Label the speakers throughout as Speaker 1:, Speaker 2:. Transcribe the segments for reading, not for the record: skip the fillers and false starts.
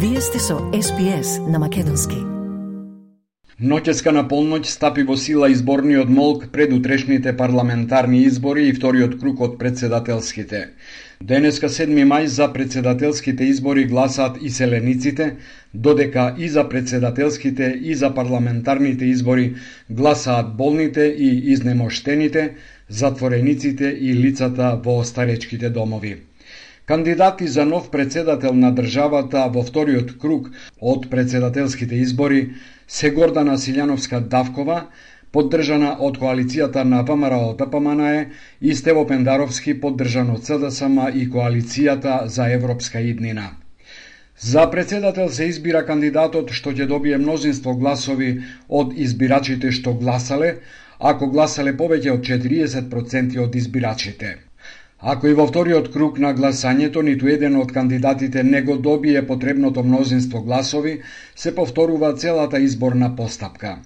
Speaker 1: Вие сте со SPS на македонски.
Speaker 2: Ноќеска на полноќ стапи во сила изборниот молк пред утрешните парламентарни избори и вториот круг од председателските. Денеска 7 мај за председателските избори гласаат иселениците, додека и за председателските и за парламентарните избори гласаат болните и изнемоштените, затворениците и лицата во старечките домови. Кандидати за нов председател на државата во вториот круг од председателските избори се Гордана Силјановска-Давкова, поддржана од коалицијата на ВМРО-ДПМНЕ, и Стево Пендаровски, поддржан од СДСМ и коалицијата за европска иднина. За председател се избира кандидатот што ќе добие мнозинство гласови од избирачите што гласале, ако гласале повеќе од 40% од избирачите. Ако и во вториот круг на гласањето ниту еден од кандидатите не го добие потребното мнозинство гласови, се повторува целата изборна постапка.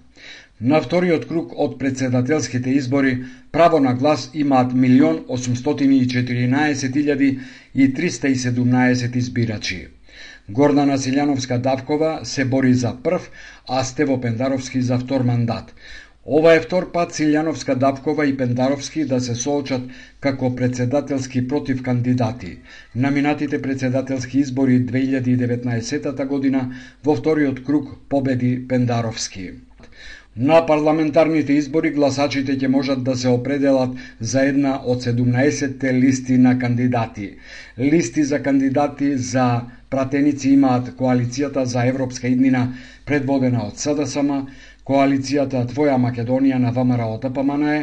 Speaker 2: На вториот круг од председателските избори право на глас имаат 1.814.317 избирачи. Гордана Силјановска-Давкова се бори за прв, а Стево Пендаровски за втор мандат. Ова е втор пат Силјановска-Давкова и Пендаровски да се соочат како председателски против кандидати. На минатите председателски избори 2019 година во вториот круг победи Пендаровски. На парламентарните избори гласачите ќе можат да се определат за една од 17 листи на кандидати. Листи за кандидати за пратеници имаат коалицијата за европска иднина предводена од СДСМ, коалицијата Твоја Македонија на ВМРО-ДПМНЕ,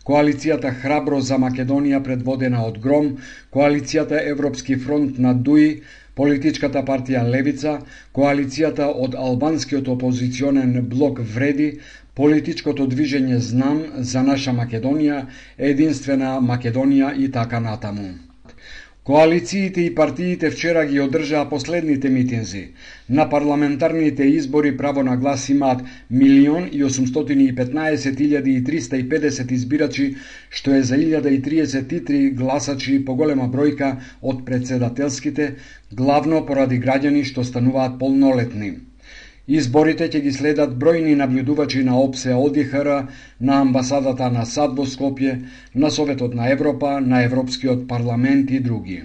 Speaker 2: коалицијата Храбро за Македонија предводена од Гром, коалицијата Европски фронт на ДУИ, политичката партија Левица, коалицијата од албанскиот опозиционен блок Вреди, политичкото движење Знам за наша Македонија, Единствена Македонија и така натаму. Коалициите и партиите вчера ги одржаа последните митинзи. На парламентарните избори право на глас имаат 1.815.350 избирачи, што е за 1033 гласачи поголема бројка од председателските, главно поради граѓани што стануваат полнолетни. Изборите ќе ги следат бројни наблюдувачи на ОПСЕ ОДИХР, на амбасадата на САД во Скопје, на Советот на Европа, на Европскиот парламент и други.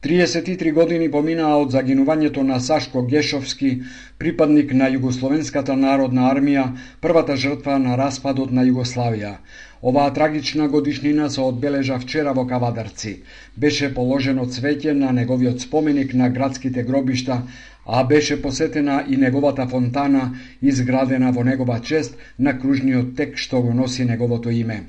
Speaker 2: 33 години поминаа од загинувањето на Сашко Гешовски, припадник на Југословенската народна армија, првата жртва на распадот на Југославија. Оваа трагична годишнина се одбележа вчера во Кавадарци. Беше положено цвеќе на неговиот споменик на градските гробишта, а беше посетена и неговата фонтана, изградена во негова чест на кружниот тек што го носи неговото име.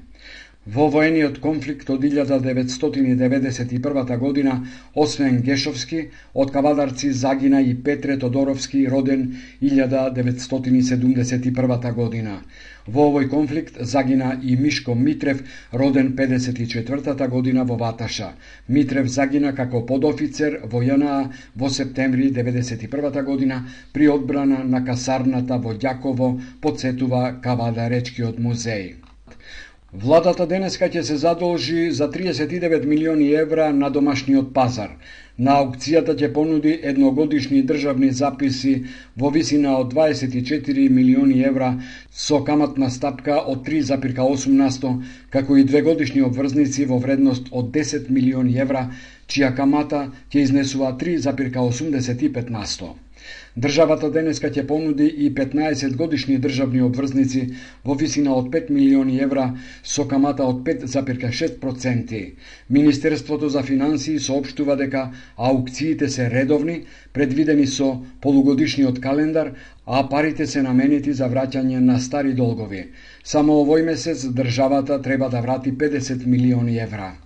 Speaker 2: Во воениот конфликт од 1991 година, освен Гешовски, од Кавадарци загина и Петре Тодоровски, роден 1971 година. Во овој конфликт загина и Мишко Митрев, роден 54 година во Ваташа. Митрев загина како подофицер во ЈНА во септември 1991 година при одбрана на касарната во Ѓаково, потсетува Кавадаречкиот музеј. Владата денеска ќе се задолжи за 39 милиони евра на домашниот пазар. На аукцијата ќе понуди едногодишни државни записи во висина од 24 милиони евра со каматна стапка од 3,8%, како и двегодишни обврзници во вредност од 10 милиони евра, чија камата ќе изнесува 3,85%. Државата денеска ќе понуди и 15 годишни државни обврзници во висина од 5 милиони евра со камата од 5,6%. Министерството за финансии соопштува дека аукциите се редовни, предвидени со полугодишниот календар, а парите се наменети за враќање на стари долгови. Само овој месец државата треба да врати 50 милиони евра.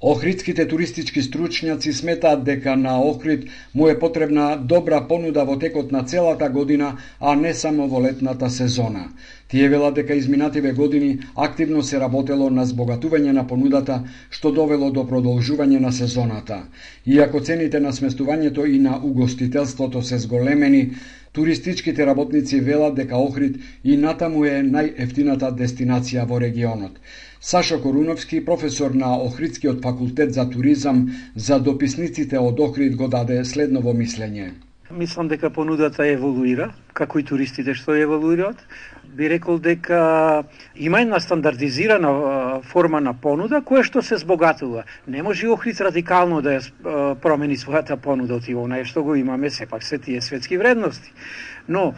Speaker 2: Охридските туристички стручњаци сметаат дека на Охрид му е потребна добра понуда во текот на целата година, а не само во летната сезона. Тие велат дека изминативе години активно се работело на збогатување на понудата, што довело до продолжување на сезоната. Иако цените на сместувањето и на угостителството се зголемени, Туристичките работници велат дека Охрид и натаму е најефтината дестинација во регионот. Сашо Коруновски, професор на Охридскиот факултет за туризам, за дописниците од Охрид го даде следново мислење.
Speaker 3: Мислам дека понудата еволуира, како и туристите што еволуираат. Би рекол дека има една стандардизирана форма на понуда која што се збогатува. Не може Охрид радикално да ја промени својата понуда од онае што го имаме, сепак се тие светски вредности. Но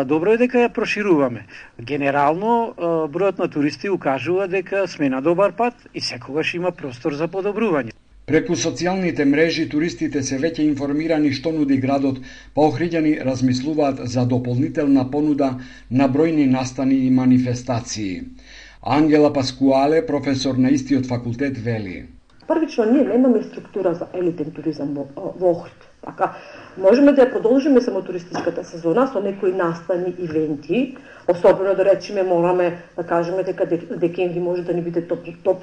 Speaker 3: добро е дека ја прошируваме. Генерално бројот на туристи укажува дека сме на добар пат и секогаш има простор за подобрување.
Speaker 2: Преку социјалните мрежи туристите се веќе информирани што нуди градот, па охриѓани размислуваат за дополнителна понуда на бројни настани и манифестации. Ангела Паскуале, професор на истиот факултет, вели:
Speaker 4: Првично, ние немаме структура за елитен туризам во Охрид. Така, можеме да ја продолжиме само туристичката сезона со некои настани, ивенти, особено да речеме мораме да кажеме дека декември може да ни биде топ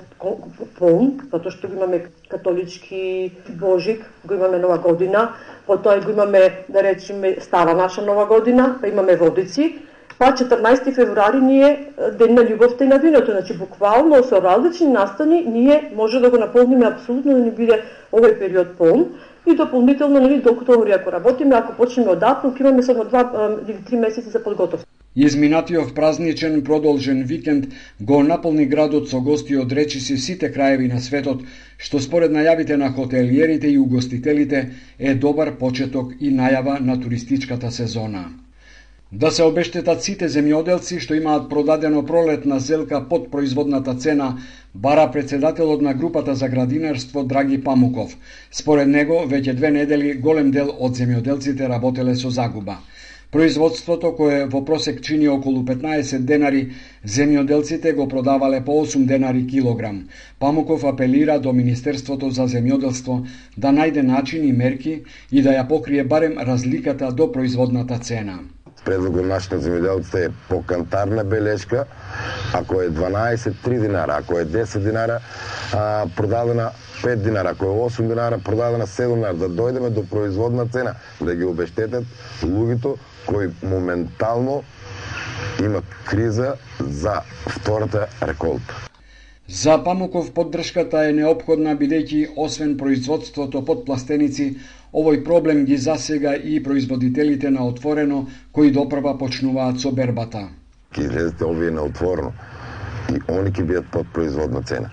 Speaker 4: полн, затоа што имаме католички Божик, го имаме Нова година, потоа го имаме да речеме стара наша Нова година, па имаме Водици, па 14 февруари ние ден на љубовта и на виното, значи буквално со различни настани ние може да го наполниме апсолутно да ни биде овој период полн. И дополнително, до октомври ако работиме, ако почнеме од април, имаме само 2 или 3 месеци за подготовка.
Speaker 2: Изминатиот празничен продолжен викенд го наполни градот со гости од речиси сите краеви на светот, што според најавите на хотелиерите и угостителите е добар почеток и најава на туристичката сезона. Да се обештетат сите земјоделци што имаат продадено пролетна зелка под производната цена, бара председателот на групата за градинарство Драги Памуков. Според него, веќе 2 недели голем дел од земјоделците работеле со загуба. Производството, кое во просек чини околу 15 денари, земјоделците го продавале по 8 денари килограм. Памуков апелира до Министерството за земјоделство да најде начин и мерки и да ја покрие барем разликата до производната цена.
Speaker 5: Предлогот наш на земјоделците е по кантарна белешка, ако е 12, 3 динара, ако е 10 динара, продадена 5 динара, ако е 8 динара, продадена 7 динара, да дојдеме до производна цена, да ги обештетат луѓето кои моментално имат криза за втората реколта.
Speaker 2: За Памуков поддршката е неопходна бидејќи освен производството под пластеници, овој проблем ги засега и производителите на отворено кои допрва почнуваат со бербата.
Speaker 5: Ке излезете овие на отворено и они ќе бидат под производна цена.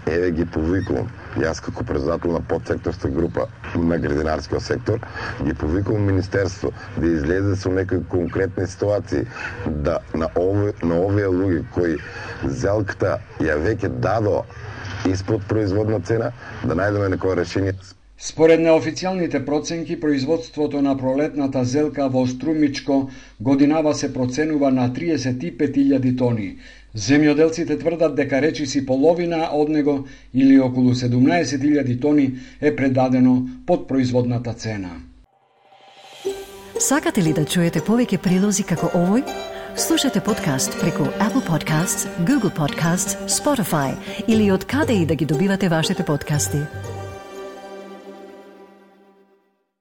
Speaker 5: Еве ги повикувам. Јас како председател на подсекторска група на градинарскиот сектор ги повикувам Министерство да излезе со некои конкретни ситуации да на овие луѓе кои зелката ја веќе дадо испод производна цена, да најдеме некој решение.
Speaker 2: Според неофицијалните проценки, производството на пролетната зелка во Струмичко годинава се проценува на 35.000 тони. Земјоделците тврдат дека речиси половина од него или околу 17.000 тони е предадено под производната цена.
Speaker 1: Сакате ли да чуете повеќе прилози како овој? Слушате подкаст преку Apple Podcasts, Google Podcasts, Spotify или од каде и да ги добивате вашите подкасти.